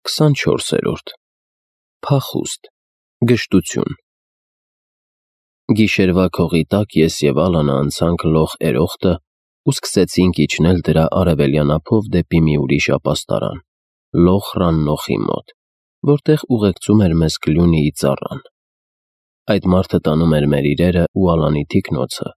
24-րդ Փախուստ Գժտություն Գիշերվա քողի տակ ես և Ալանը անցանք լող երոխտը ու սկսեցինք իջնել դրա արևելյան ափով դեպի մի ուրիշ ապաստարան, լող Ռաննոխի մոտ, որտեղ ուղեկցում էր մեզ Գլյունիի ծառան։ Այդ մարդը տանում էր մեր իրերը ու Ալանի թիկնոցը,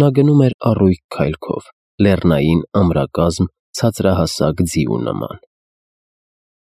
նա գնում էր առույգ քայլքով, լեռնային ամրակազմ ցածրահասակ ձիու նման։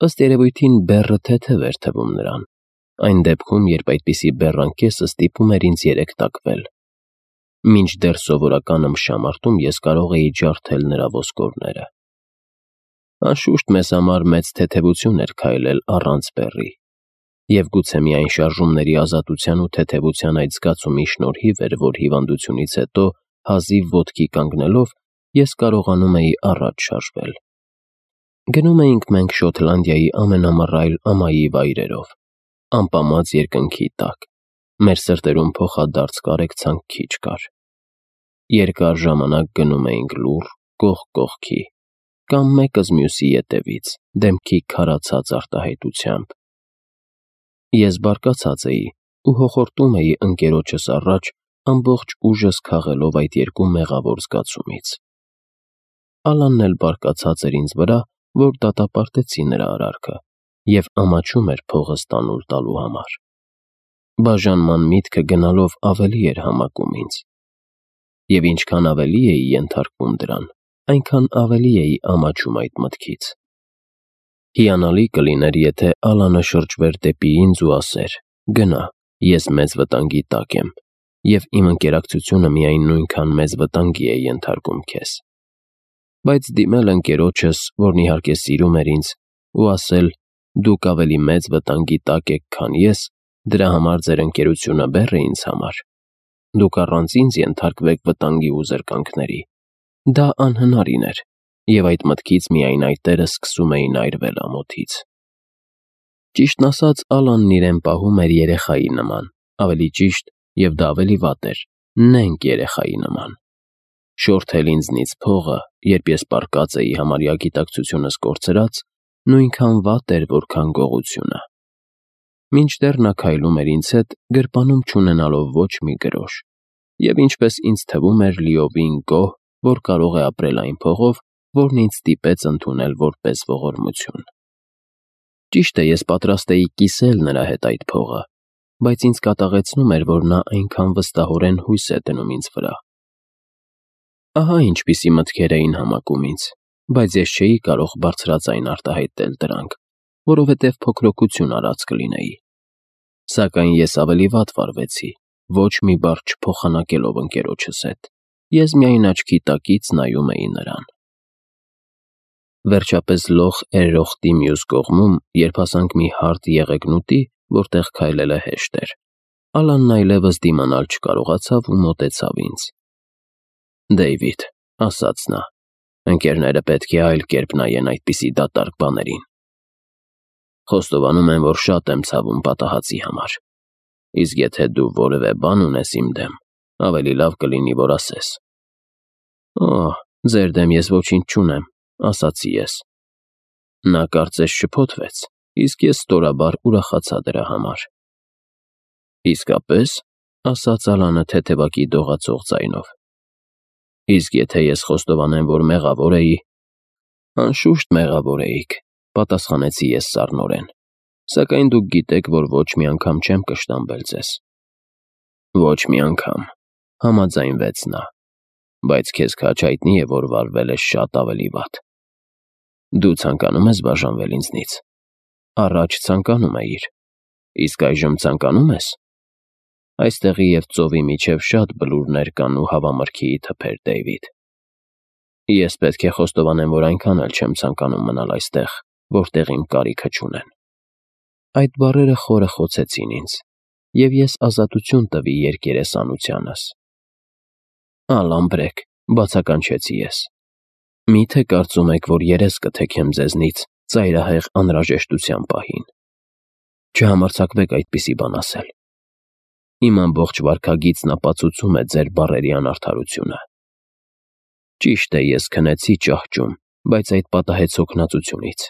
Ըստ երևույթին բեռը թեթև էր թվում նրան, այն դեպքում, երբ այդպիսի բեռանկեսը ստիպում էր ինձ երեքտակվել։ Մինչդեռ սովորական ըմբշամարտում ես կարող էի ջարդել նրա ոսկորները։ Անշուշտ մեզ համար մեծ թեթևություն էր քայլել առանց բեռի, և գուցե միայն շարժումների ազատության ու թեթևության այդ զգացումի շնորհիվ էր, որ հիվանդությունից հետո հազիվ ոտքի կանգնելով ես կարողանում էի առաջ շարժվել։ Գնում էինք մենք Շոտլանդիայի ամենամռայլ ամայի վայրերով, ամպամած երկնքի տակ, մեր սրտերում փոխադարձ կարեկցանք քիչ կար։ Երկար ժամանակ գնում էինք լուռ, կողք կողքի, կամ մեկս մյուսի ետևից, դեմքի քարացած արտահայտությամբ։ Ես բարկացած էի ու հոխորտում էի ընկերոջս առաջ, ամբողջ ուժս քաղելով այդ երկու մեղավոր զգացումից։ Ալանն էլ բարկացած էր ինձ վրա, որ դատապարտեցի նրա արարքը և ամաչում էր փողս տանուլ տալու համար։ Բաժանման միտքը գնալով ավելի էր համակում ինձ։ Եվ ինչքան ավելի էի ենթարկվում դրան, այնքան ավելի էի ամաչում այդ մտքից։ Հիանալի կլիներ, եթե Ալանը շրջվեր դեպի ինձ ու ասեր. «Գնա, ես մեծ վտանգի տակ եմ, և իմ ընկերակցությունը միայն նույնքան մեծ վտանգի է ենթարկում քեզ»։ Բայց դիմել ընկերոջս, որն իհարկե սիրում էր ինձ, ու ասել. «Դուք ավելի մեծ վտանգի տակ եք, քան ես, դրա համար ձեր ընկերությունը բեռ է ինձ համար։ Դուք առանց ինձ ենթարկվեք վտանգի ու զրկանքների», դա անհնարին էր, և այդ մտքից միայն այտերը սկսում էին այրվել ամոթից։ Ճիշտն ասած, Ալանն իրեն պահում էր երեխայի նման, ավելի ճիշտ, և դա ավելի վատ էր, նենգ երեխայի նման։ Շորթել ինձնից փողը, երբ ես պառկած էի համարյա գիտակցությունս կորցրած, նույնքան վատ էր, որքան գողությունը։ Մինչդեռ նա քայլում էր ինձ հետ, գրպանում չունենալով ոչ մի գրոշ, և ինչպես ինձ թվում էր լիովին գոհ, որ կարող է ապրել այն փողով, որն ինձ ստիպեց ընդունել որպես ողորմություն։ Ճիշտ է, ես պատրաստ էի կիսել նրա հետ այդ փողը, բայց ինձ կատաղեցնում էր, որ նա այնքան վստահորեն հույս է դնում ինձ վրա։ Ահա ինչպիսի մտքեր էին համակում ինձ, բայց ես չէի կարող բարձրաձայն արտահայտել դրանք, որովհետև փոքրոքություն արած կլինեի։ Սակայն ես ավելի վատ վարվեցի, ոչ մի բառ չփոխանակելով ընկերոջս հետ, ես միայն աչքի տակից նայում էի նրան։ Վերջապես լող երոխտի մյուս կողմում, երբ հասանք մի հարթ եղեգնուտի, որտեղ քայլելը հեշտ էր, Ալանն այլևս դիմանալ չկարողացավ ու մոտեցավ ինձ։ «Դեյվիդ», ասաց նա, «ընկերները պետք է այլ կերպ նայեն այդպիսի դատարկ բաներին։ Խոստովանում եմ, որ շատ եմ ցավում պատահածի համար, իսկ եթե դու որևէ բան ունես իմ դեմ, ավելի լավ կլինի, որ ասես»։ «Օհ, ձեր դեմ ես ոչինչ չունեմ», ասացի ես։ Նա կարծես շփոթվեց, իսկ ես ստորաբար ուրախացա դրա համար։ «Իսկապես», ասաց Ալանը թեթևակի դողացող ձայնով։ «Իսկ եթե ես խոստովանեմ, որ մեղավոր էի»։ «Անշուշտ մեղավոր էիք», պատասխանեցի ես սառնորեն, «սակայն դուք գիտեք, որ ոչ մի անգամ չեմ կշտամբել ձեզ»։ «Ոչ մի անգամ», համաձայնվեց նա, «բայց քեզ քաջ հայտնի է, որ վարվել ես շատ ավելի վատ։ Դու ցանկանում ես բաժանվել ինձնից։ Առաջ ցանկանում էիր, իսկ այժմ ցանկանում ես։ Այստեղի և ծովի միջև շատ բլուրներ կան ու հավամրգիի թփեր, Դեյվիդ։ Ես պետք է խոստովանեմ, որ այնքան էլ չեմ ցանկանում մնալ այստեղ, որտեղ իմ կարիքը չունեն»։ Այդ բառերը խորը խոցեցին ինձ, և ես ազատություն տվի երկերեսանությանս։ «Ալամբրեք», բացականչեցի ես, «միթե կարծում եք, որ երես կթեքեմ ձեզնից ծայրահեղ անհրաժեշտության պահին։ Չհամարձակվեք այդպիսի բան ասել։ Իմ ամբողջ վարքագիծն ապացուցում է ձեր բառերի անարդարությունը։ Ճիշտ է, ես քնեցի ճահճում, բայց այդ պատահեց հոգնածությունից։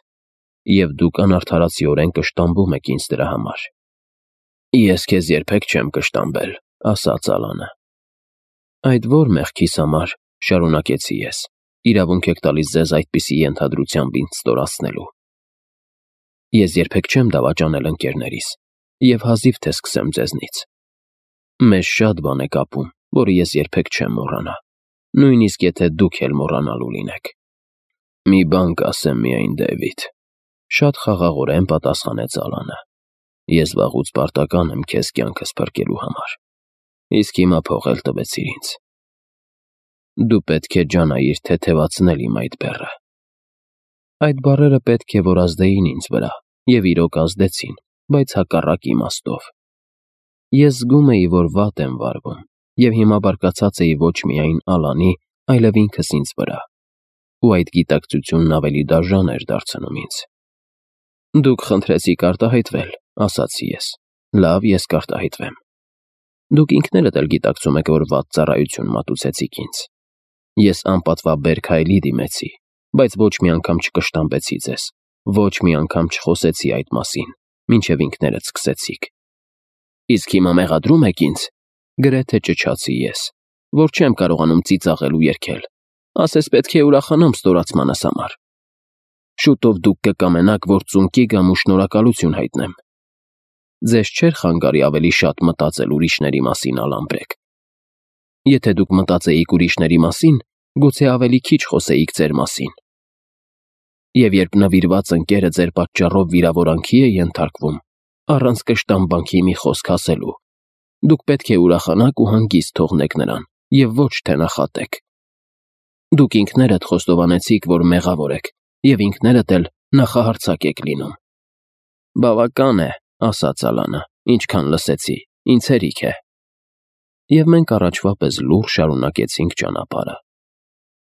և դուք անարդարացիորեն կշտամբում եք ինձ դրա համար։ Ես քեզ երբեք չեմ կշտամբել, ասաց Ալանը։ Այդ ո՞ր մեղքիս համար, շարունակեցի ես, իրավունք եք տալիս ձեզ այդպիսի ենթադրությամբ ինձ ստորացնելու։ Ես երբեք չեմ դավաճանել ընկերներիս, և հազիվ թե սկսեմ ձեզնից։ Մեզ շատ բան է կապում, որը ես երբեք չեմ մոռանա, նույնիսկ եթե դուք էլ մոռանալու լինեք։ Մի բան կասեմ միայն, Դեվիդ, շատ խաղաղորեն պատասխանեց Ալանը։ Ես վաղուց պարտական եմ քեզ կյանքս փրկելու համար, իսկ հիմա փող էլ տվեցիր ինձ։ Դու պետք է ջանայիր թեթևացնել իմ այդ բեռը։ Այդ բառերը պետք է որ ազդեին ինձ վրա, և իրոք ազդեցին, բայց հակառակ իմաստով։ Ես զգում էի, որ վատ եմ վարվում, և հիմա բարկացած էի ոչ միայն Ալանի, այլև ինքս ինձ վրա, ու այդ գիտակցությունն ավելի դաժան էր դարձնում ինձ։ Դուք խնդրեցիք արտահայտվել, ասացի ես։ Լավ, ես կարտահայտվեմ։ Դուք ինքներդ էլ գիտակցում եք, որ վատ ծառայություն մատուցեցիք ինձ։ Ես անպատվաբեր քայլի դիմեցի, բայց ոչ մի անգամ չկշտամբեցի ձեզ, ոչ մի անգամ չխոսեցի այդ մասին, մինչև ինքներդ սկսեցիք։ Իսկ հիմա մեղադրում եք ինձ, գրեթե ճչացի ես, որ չեմ կարողանում ծիծաղել ու երգել, ասես պետք է ուրախանամ ստորացմանս համար։ Շուտով դուք կկամենաք, որ ծունկի գամ ու շնորհակալություն հայտնեմ։ Ձեզ չէր խանգարի ավելի շատ մտածել ուրիշների մասին, Ալան-բեգ։ Եթե դուք մտածեիք ուրիշների մասին, գուցե ավելի քիչ խոսեիք ձեր մասին։ Եվ երբ նվիրված ընկերը ձեր պատճառով վիրավորանքի է ենթարկվում, առանց կշտամբանքի մի խոսք ասելու, դուք պետք է ուրախանաք ու հանգիստ թողնեք նրան, և ոչ թե նախատեք։ Դուք ինքներդ խոստովանեցիք, որ մեղավոր եք, և ինքներդ էլ նախահարձակ եք լինում։ Բավական է, ասաց Ալանը, ինչքան լսեցի, ինձ հերիք է։ Եվ մենք առաջվա պես լուռ շարունակեցինք ճանապարհը։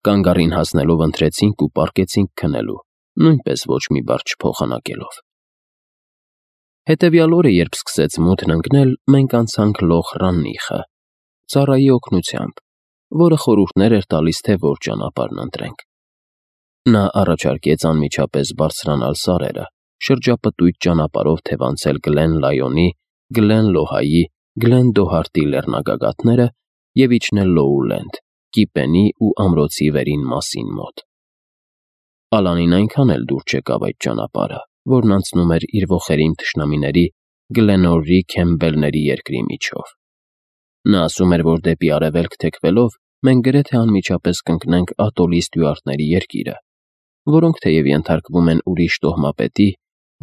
Կանգառին հասնելով ընթրեցինք ու պառկեցինք քնելու, նույնպես ոչ մի բառ չփոխանակելով։ Հետևյալ օրը, երբ սկսեց մութն ընկնել, մենք անցանք Լոխ Ռաննիխը, ծառայի օգնությամբ, որը խորհուրդներ էր տալիս, թե որ ճանապարհն ընտրենք։ Նա առաջարկեց անմիջապես բարձրանալ սարերը, շրջապտույտ ճանապարհով թևանցել Գլեն Լայոնի, Գլեն Լոհայի, Գլեն Դոհարտի լեռնագագաթները և իջնել Լոուլենդ, Կիպենի ու ամրոցի վերին մասին մոտ։ Ալանին այնքան էլ դուր չեկավ այդ ճանապարհը, որն անցնում էր իր ոխերիմ թշնամիների Գլենորրի Քեմբելների երկրի միջով։ Նա ասում էր, որ դեպի արևելք թեքվելով մենք գրեթե անմիջապես կընկնենք Ատոլի ստյուարտների երկիրը, որոնք թեև ենթարկվում են ուրիշ տոհմապետի,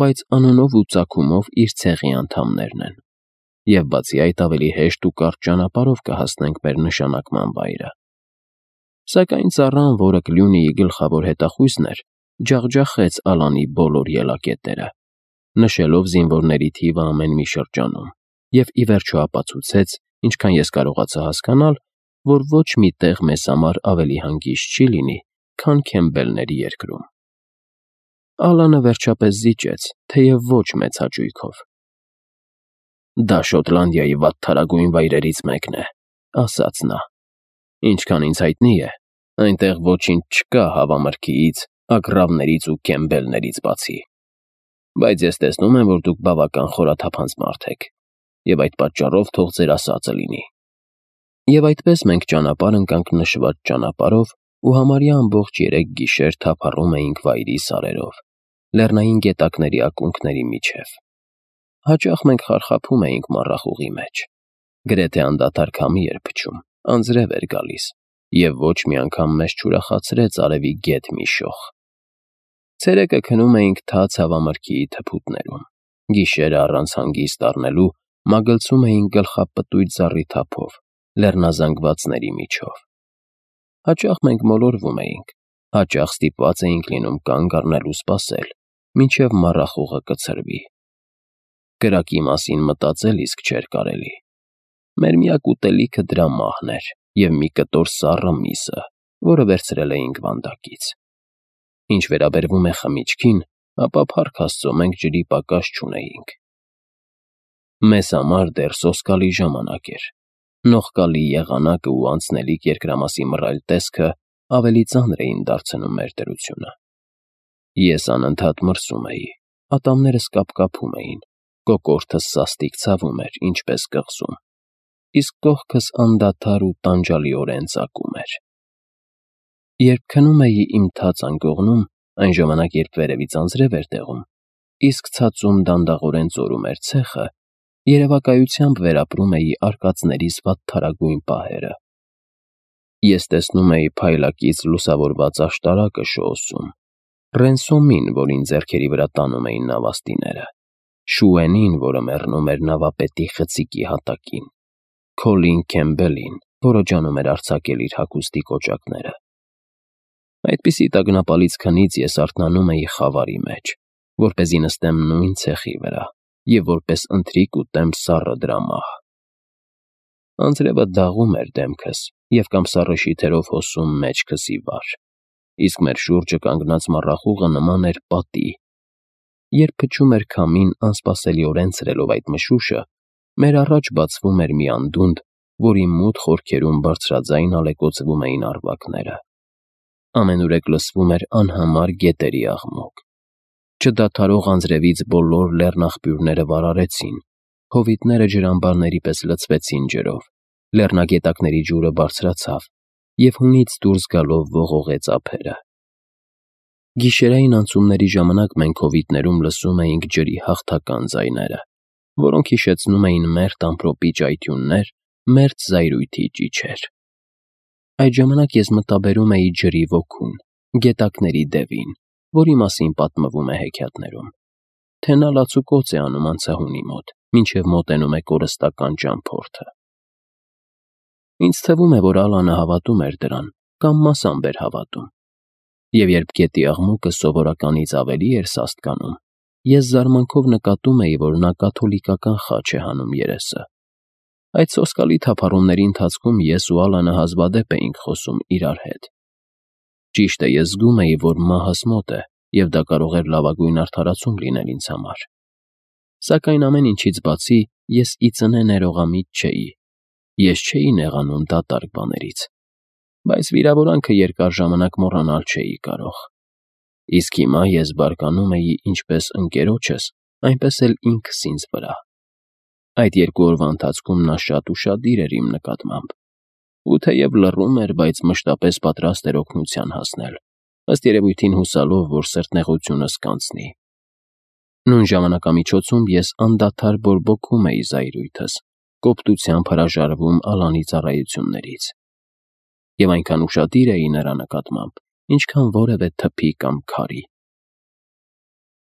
բայց անունով ու ծագումով իր ցեղի անդամներն են, և բացի այդ ավելի հեշտ ու կարճ ճանապարհով կհասնենք մեր նշանակման վայրը։ Սակայն ծառան, որը Կլյունիի գլխավոր հետախույզն էր, ջախջախեց Ալանի բոլոր ելակետերը, նշելով զինվորների թիվը ամեն մի շրջանում, և ի վերջո ապացուցեց, ինչքան ես կարողացա հասկանալ, որ ոչ մի տեղ մեզ համար ավելի հանգիստ չի լինի, քան Քեմբելների երկրում։ Ալանը վերջապես զիջեց, թեև ոչ մեծ հաճույքով։ Դա Շոտլանդիայի վատթարագույն վայրերից մեկն է, ասաց նա։ Ինչքան ինձ հայտնի է, այնտեղ ոչինչ չկա հավամրգիից, ագռավներից ու Քեմբելներից բացի։ Բայց ես տեսնում եմ, որ դուք բավական խորաթափանց մարդ եք, և այդ պատճառով թող ձեր ասածը լինի։ Եվ այդպես մենք ճանապարհ ընկանք նշված ճանապարհով ու համարյա ամբողջ 3 գիշեր թափառում էինք վայրի սարերով, լեռնային գետակների ակունքների միջև։ Հաճախ մենք խարխափում էինք մառախուղի մեջ։ Գրեթե անդադար քամի էր փչում, անձրև էր գալիս, և ոչ մի անգամ մեզ չուրախացրեց արևի գետ մի շող։ Ցերեկը քնում էինք թաց հավամրգիի թփուտներում, գիշերը առանց հանգիստ առնելու մագլցում էինք գլխապտույտ ծառի թափով, լեռնազանգվածների միջով։ Հաճախ մենք մոլորվում էինք, հաճախ ստիպված էինք լինում կանգ առնել ու սպասել, մինչև մառախուղը կցրվի։ Կրակի մասին մտածել իսկ չէր կարելի։ Մեր միակ ուտելիքը դրա մահն էր և մի կտոր սառը միսը, որը վերցրել էինք վանդակից։ Ինչ վերաբերվում է խմիչքին, ապա փառք Աստծո մենք ջրի պակաս չունեինք։ Մեզ համար դեռ սոսկալի ժամանակ էր։ Նողկալի եղանակը ու անցնելիք երկրամասի մռայլ տեսքը ավելի ծանր էին դարձնում մեր դրությունը։ Ես անընդհատ մրսում էի, ատամներս կապկապում էին, կոկորդս սաստիկ ցավում էր, ինչպես կղզում, իսկ կողքս անդադար ու տանջալիորեն ծակում էր։ Երբ քնում էի իմ թաց անկողնում, այն ժամանակ, երբ վերևից անձրև էր տեղում, իսկ ցածում դանդաղորեն ծորում էր ցեխը, երևակայությամբ վերապրում էի արկածներիս վատթարագույն պահերը։ Ես տեսնում էի փայլակից լուսավորված աշտարակը շոուսում, Ռենսոմին, որին ձեռքերի վրա տանում էին նավաստիները, Շուենին, որը մեռնում էր նավապետի խցիկի հատակին, Քոլին Քեմբելին, որը ջանում էր արձակել իր հագուստի կոճակները։ Այդպիսի տագնապալից քնից ես արթնանում էի խավարի մեջ, որպեսզի նստեմ նույն ցեխի վրա և որպես ընթրիք ուտեմ սառը դրա մահ։ Անձրևը դաղում էր դեմքս և կամ սառը շիթերով հոսում մեջքս ի վար, իսկ մեր շուրջը կանգնած մառախուղը նման էր պատի։ Երբ փչում էր քամին, անսպասելիորեն ցրելով այդ մշուշը, մեր առաջ բացվում էր մի անդունդ, որի մութ խորքերում բարձրաձայն ալեկոծվում էին առվակները։ Ամենուրեք լսվում էր անհամար գետերի աղմուկ։ Չդադարող անձրևից բոլոր լեռնաղբյուրները վարարեցին, հովիտները ջրամբարների պես լցվեցին ջրով, լեռնագետակների ջուրը բարձրացավ և հունից դուրս գալով ողողեց ափերը։ Գիշերային անցումների ժամանակ մենք հովիտներում լսում էինք ջրի հաղթական ձայները, որոնք հիշեցնում էին մերթ ամպրոպի ճայթյուններ, մերթ զայրույթի ճիչեր։ Այդ ժամանակ ես մտաբերում էի ջրի ոգուն, գետակների դևին, որի մասին պատմվում է հեքիաթներում, թե նա լացուկոծ է անում անցահունի մոտ, մինչև մոտենում է կորստական ճամփորդը։ Ինձ թվում է, որ Ալանը հավատում էր դրան, կամ մասամբ էր հավատում։ Եվ երբ գետի աղմուկը սովորականից ավելի էր սաստկանում, ես զարմանքով նկատում էի, որ նա կաթոլիկական խաչ է հանում երեսը։ Այդ սոսկալի թափառումների ընթացքում ես ու Ալանը հազվադեպ էինք խոսում իրար հետ։ Ճիշտ է, ես զգում էի, որ մահս մոտ է, և դա կարող էր լավագույն արդարացում լինել ինձ համար։ Սակայն ամեն ինչից բացի, ես ի ծնե ներողամիտ չէի։ Ես չէի նեղանում դատարկ բաներից, բայց վիրավորանքը երկար ժամանակ մոռանալ չէի կարող։ Իսկ հիմա ես բարկանում էի ինչպես ընկերոջս, այնպես էլ ինքս ինձ վրա։ Այդ 2 օրվա ընթացքում նա շատ ուշադիր էր իմ նկատմամբ, ու թեև լռում էր, բայց մշտապես պատրաստ էր օգնության հասնել, ըստ երևույթին հուսալով, որ սրտնեղությունս կանցնի։ Նույն ժամանակամիջոցում ես անդադար բորբոքում էի զայրույթս, կոպտությամբ հրաժարվում Ալանի ծառայություններից։ Եվ այնքան ուշադիր էի նրա նկատմամբ, ինչքան որևէ թփի կամ քարի։